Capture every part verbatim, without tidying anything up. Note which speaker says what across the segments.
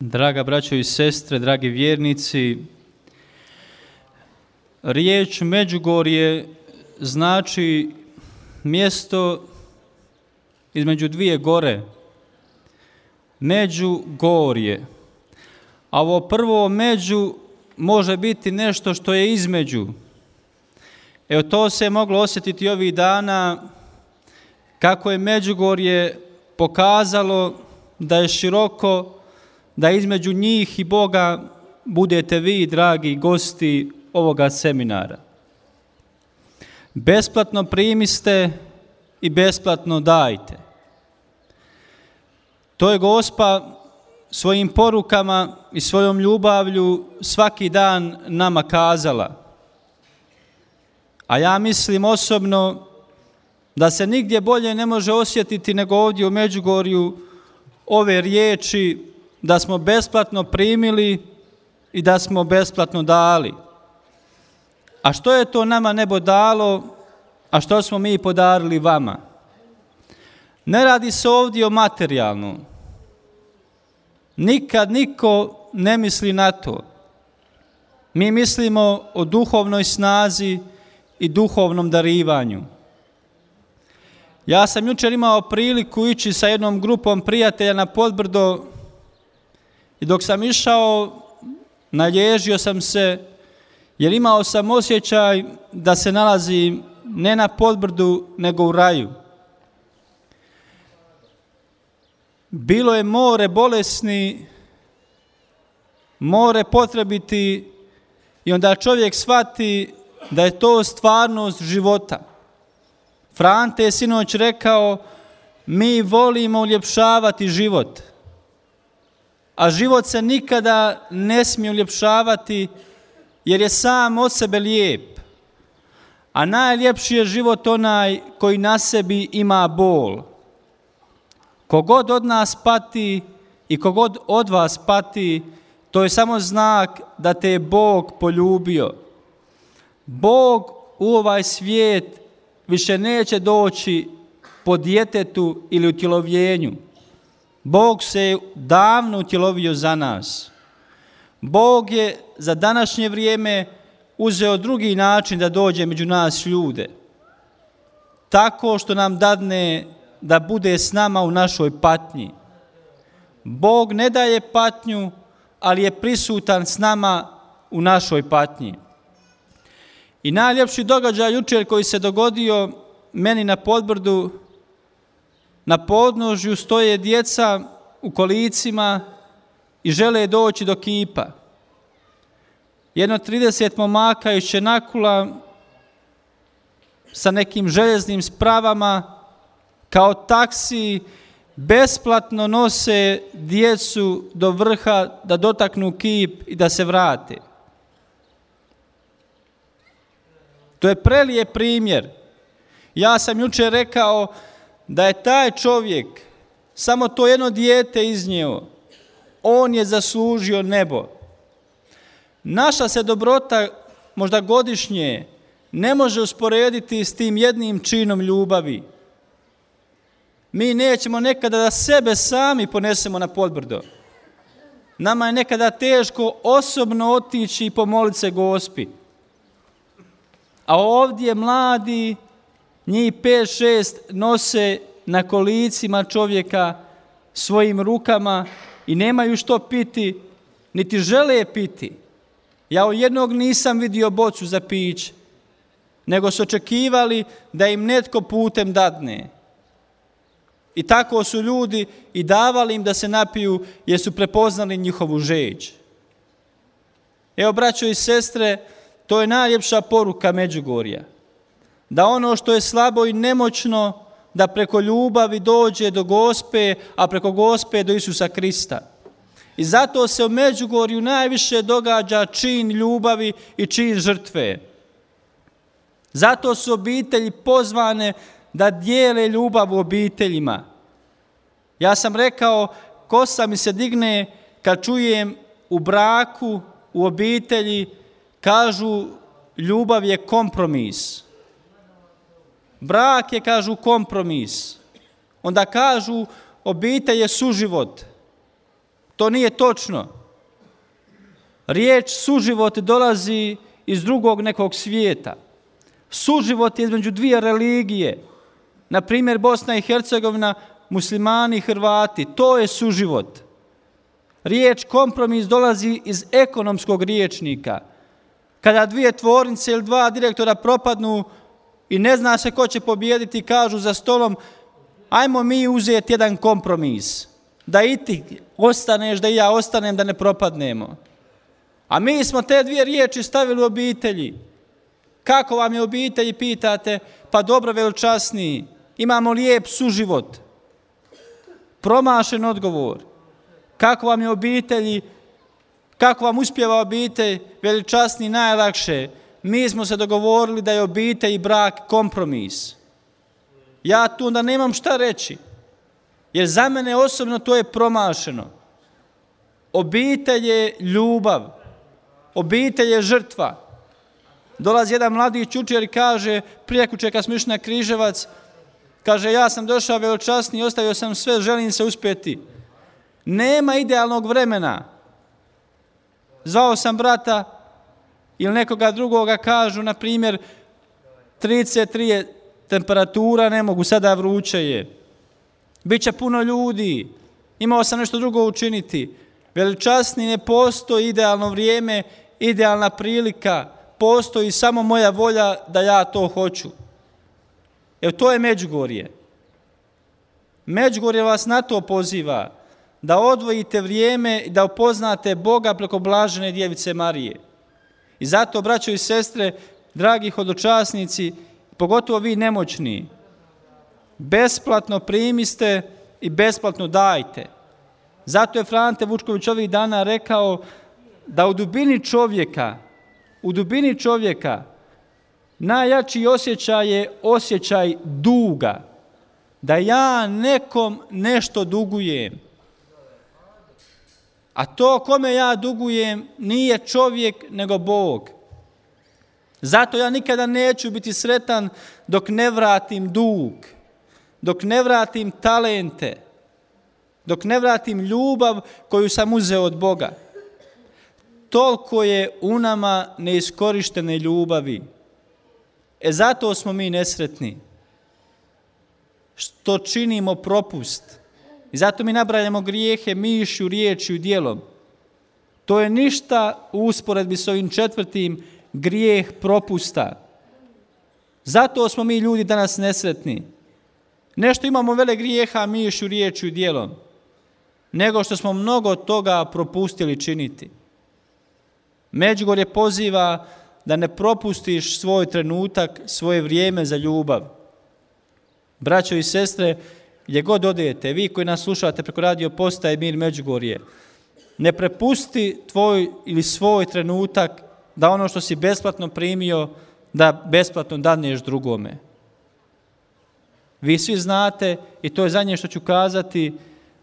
Speaker 1: Draga braćo i sestre, dragi vjernici, riječ Međugorje znači mjesto između dvije gore, Međugorje. A ovo prvo među može biti nešto što je između. Evo to se je moglo osjetiti ovih dana kako je Međugorje pokazalo da je široko, da između njih i Boga budete vi, dragi gosti ovoga seminara. Besplatno primiste i besplatno dajte. To je Gospa svojim porukama i svojom ljubavlju svaki dan nama kazala. A ja mislim osobno da se nigdje bolje ne može osjetiti nego ovdje u Međugorju ove riječi da smo besplatno primili i da smo besplatno dali. A što je to nama nebo dalo, a što smo mi podarili vama? Ne radi se ovdje o materijalnom. Nikad niko ne misli na to. Mi mislimo o duhovnoj snazi i duhovnom darivanju. Ja sam jučer imao priliku ići sa jednom grupom prijatelja na Podbrdo i dok sam išao, nalježio sam se jer imao sam osjećaj da se nalazim ne na Podbrdu nego u raju. Bilo je more bolesni, more potrebiti i onda čovjek shvati da je to stvarnost života. Frante je sinoć rekao, mi volimo uljepšavati život, a život se nikada ne smije uljepšavati jer je sam od sebe lijep. A najljepši je život onaj koji na sebi ima bol. Kogod od nas pati i kogod od vas pati, to je samo znak da te je Bog poljubio. Bog u ovaj svijet više neće doći po djetetu ili utjelovljenju. Bog se je davno utjelovio za nas. Bog je za današnje vrijeme uzeo drugi način da dođe među nas ljude. Tako što nam dadne da bude s nama u našoj patnji. Bog ne daje patnju, ali je prisutan s nama u našoj patnji. I najljepši događaj jučer koji se dogodio meni na Podbrdu, na podnožju stoje djeca u kolicima i žele doći do kipa. Jedno trideset momaka iz Čenakula sa nekim željeznim spravama kao taksi besplatno nose djecu do vrha da dotaknu kip i da se vrate. To je prelijep primjer. Ja sam jučer rekao da je taj čovjek samo to jedno dijete iznio. On je zaslužio nebo. Naša se dobrota možda godišnje ne može usporediti s tim jednim činom ljubavi. Mi nećemo nekada da sebe sami ponesemo na Podbrdo. Nama je nekada teško osobno otići i pomoliti se Gospi. A ovdje mladi, njih pet, šest nose na kolicima čovjeka svojim rukama i nemaju što piti, niti žele piti. Ja od jednog nisam vidio bocu za piće, nego su očekivali da im netko putem dadne. I tako su ljudi i davali im da se napiju jer su prepoznali njihovu žeđ. Evo, braćo i sestre, to je najljepša poruka Međugorja. Da ono što je slabo i nemoćno, da preko ljubavi dođe do Gospe, a preko Gospe do Isusa Krista. I zato se u Međugorju najviše događa čin ljubavi i čin žrtve. Zato su obitelji pozvane da dijele ljubav u obiteljima. Ja sam rekao, kosa mi se digne kad čujem u braku, u obitelji, kažu ljubav je kompromis. Brak je, kažu, kompromis. Onda kažu obitelj je suživot. To nije točno. Riječ suživot dolazi iz drugog nekog svijeta. Suživot je između dvije religije. Na primjer, Bosna i Hercegovina, muslimani i Hrvati. To je suživot. Riječ kompromis dolazi iz ekonomskog riječnika. Kada dvije tvornice ili dva direktora propadnu i ne zna se ko će pobijediti, kažu za stolom, ajmo mi uzeti jedan kompromis. Da i ti ostaneš, da i ja ostanem, da ne propadnemo. A mi smo te dvije riječi stavili u obitelji. Kako vam je obitelji, pitate? Pa dobro, veličasniji. Imamo lijep suživot. Promašen odgovor. Kako vam je obitelji, kako vam uspjeva obitelj, veličasniji, najlakše. Mi smo se dogovorili da je obitelj i brak kompromis. Ja tu onda nemam šta reći. Jer za mene osobno to je promašeno. Obitelj je ljubav. Obitelj je žrtva. Dolazi jedan mladić učer i kaže, prijekuće kad smo išli na Križevac, kaže, ja sam došao veličasni, ostavio sam sve, želim se uspjeti. Nema idealnog vremena. Zvao sam brata ili nekoga drugoga, kažu, na primjer, trideset tri je temperatura, ne mogu, sada vruće je. Biće puno ljudi, imao sam nešto drugo učiniti. Veličasni, ne postoji idealno vrijeme, idealna prilika, postoji samo moja volja da ja to hoću. Evo, to je Međugorje. Međugorje vas na to poziva, da odvojite vrijeme i da upoznate Boga preko blažene djevice Marije. I zato, braćo i sestre, dragi hodočasnici, pogotovo vi nemoćni, besplatno primiste i besplatno dajte. Zato je Frante Vučković ovih dana rekao da u dubini čovjeka, u dubini čovjeka najjači osjećaj je osjećaj duga. Da ja nekom nešto dugujem. A to kome ja dugujem nije čovjek nego Bog. Zato ja nikada neću biti sretan dok ne vratim dug, dok ne vratim talente, dok ne vratim ljubav koju sam uzeo od Boga. Toliko je u nama neiskorištene ljubavi. E zato smo mi nesretni. Što činimo propust. I zato mi nabrajamo grijehe mišlju, riječju i djelom. To je ništa u usporedbi s ovim četvrtim, grijeh propusta. Zato smo mi ljudi danas nesretni. Nešto imamo vele grijeha mišlju, riječju i djelom, nego što smo mnogo toga propustili činiti. Međugorje poziva da ne propustiš svoj trenutak, svoje vrijeme za ljubav. Braćo i sestre, gdje god odete, vi koji nas slušate preko radio postaje Mir Međugorje, ne prepusti tvoj ili svoj trenutak da ono što si besplatno primio, da besplatno daneš drugome. Vi svi znate, i to je zadnje što ću kazati,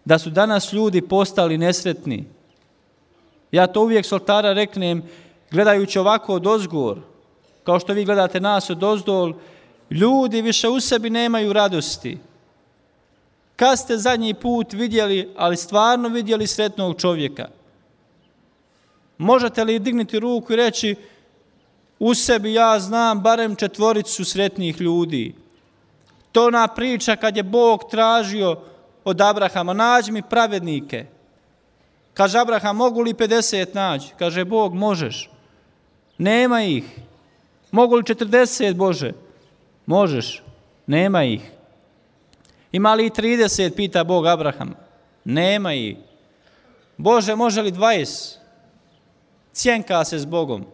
Speaker 1: da su danas ljudi postali nesretni. Ja to uvijek s oltara reknem, gledajući ovako odozgor, kao što vi gledate nas odozdol, ljudi više u sebi nemaju radosti. Kad ste zadnji put vidjeli, ali stvarno vidjeli sretnog čovjeka? Možete li dignuti ruku i reći, u sebi ja znam barem četvoricu sretnih ljudi? To ona priča kad je Bog tražio od Abrahama, nađi mi pravednike. Kaže Abraham, mogu li pedeset naći? Kaže Bog, možeš. Nema ih. Mogu li četrdeset, Bože? Možeš. Nema ih. Ima li trideset, pita Bog Abrahama? Nema ih. Bože, može li dvadeset? Cjenka se s Bogom.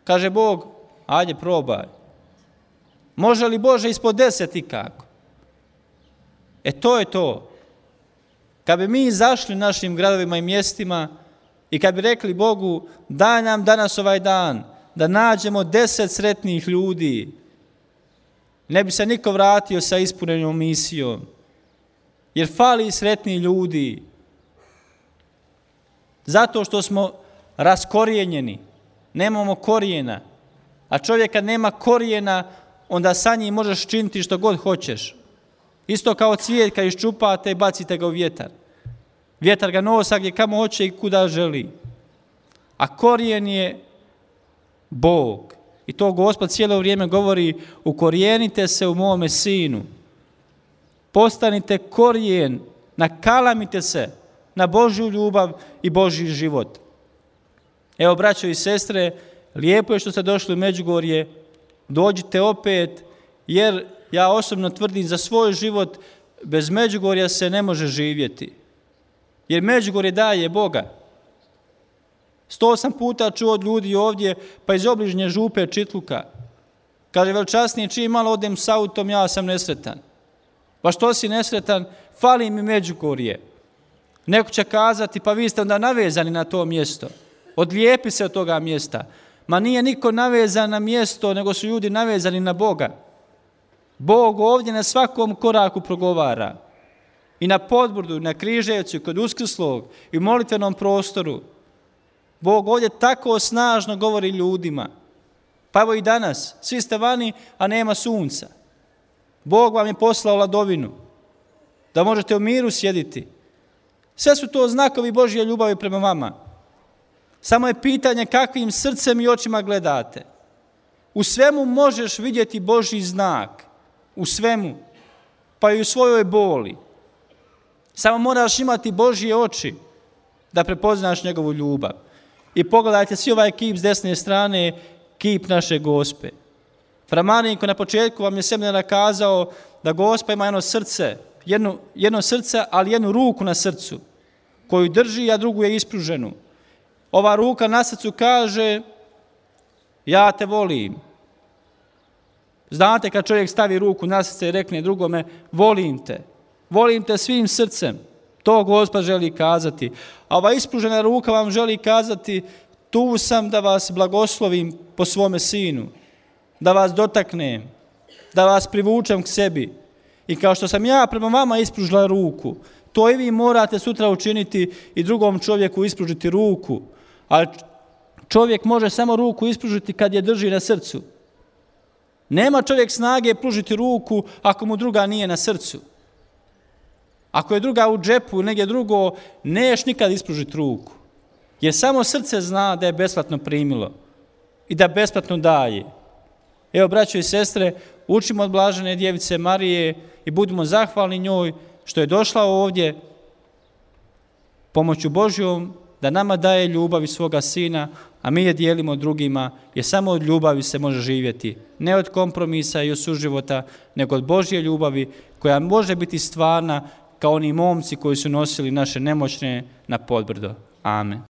Speaker 1: Kaže Bog, ajde probaj. Može li Bože ispod deset i kako? E to je to. Kad bi mi izašli našim gradovima i mjestima i kad bi rekli Bogu, daj nam danas ovaj dan da nađemo deset sretnih ljudi, ne bi se niko vratio sa ispunjenom misijom. Jer fali sretni ljudi. Zato što smo raskorijenjeni. Nemamo korijena. A čovjek kad nema korijena, onda sa njim možeš činiti što god hoćeš. Isto kao cvijet kad iščupate i bacite ga u vjetar. Vjetar ga nosa gdje kamo hoće i kuda želi. A korijen je Bog. I to Gospod cijelo vrijeme govori, ukorijenite se u mome sinu. Postanite korijen, nakalamite se na Božju ljubav i Božji život. Evo, braćo i sestre, lijepo je što ste došli u Međugorje, dođite opet, jer ja osobno tvrdim za svoj život, bez Međugorja se ne može živjeti. Jer Međugorje daje Boga. Sto sam puta čuo od ljudi ovdje, pa iz obližnje župe Čitluka. Kaže, veličasnije, čim malo odem s autom, ja sam nesretan. Pa što si nesretan? Fali mi Međugorje. Neko će kazati, pa vi ste onda navezani na to mjesto. Odlijepi se od toga mjesta. Ma nije niko navezan na mjesto, nego su ljudi navezani na Boga. Bog ovdje na svakom koraku progovara. I na Podbrdu, i na Križevcu, i kod Uskrslog, i u molitvenom prostoru. Bog ovdje tako snažno govori ljudima. Pa evo i danas, svi ste vani, a nema sunca. Bog vam je poslao ladovinu, da možete u miru sjediti. Sve su to znakovi Božje ljubavi prema vama. Samo je pitanje kakvim srcem i očima gledate. U svemu možeš vidjeti Božji znak. U svemu. Pa i u svojoj boli. Samo moraš imati Božje oči da prepoznaš njegovu ljubav. I pogledajte svi ovaj kip s desne strane, kip naše Gospe. Fra Marinko na početku vam je seminara kazao da Gospa ima jedno srce, jedno, jedno srce, ali jednu ruku na srcu, koju drži, a drugu je ispruženu. Ova ruka na srcu kaže, ja te volim. Znate kad čovjek stavi ruku na srce i rekne drugome, volim te. Volim te svim srcem. To Gospod želi kazati. A ova ispružena ruka vam želi kazati, tu sam da vas blagoslovim po svome sinu. Da vas dotaknem. Da vas privučem k sebi. I kao što sam ja prema vama ispružila ruku, to i vi morate sutra učiniti i drugom čovjeku ispružiti ruku. Ali čovjek može samo ruku ispružiti kad je drži na srcu. Nema čovjek snage pružiti ruku ako mu druga nije na srcu. Ako je druga u džepu ili negdje drugo, neš nikad ispružiti ruku. Jer samo srce zna da je besplatno primilo i da besplatno daje. Evo, braćo i sestre, učimo od blažene djevice Marije i budimo zahvalni njoj što je došla ovdje pomoću Božjom da nama daje ljubav iz svoga sina, a mi je dijelimo drugima, jer samo od ljubavi se može živjeti. Ne od kompromisa i od suživota, nego od Božje ljubavi koja može biti stvarna kao oni momci koji su nosili naše nemoćne na Podbrdo. Amen.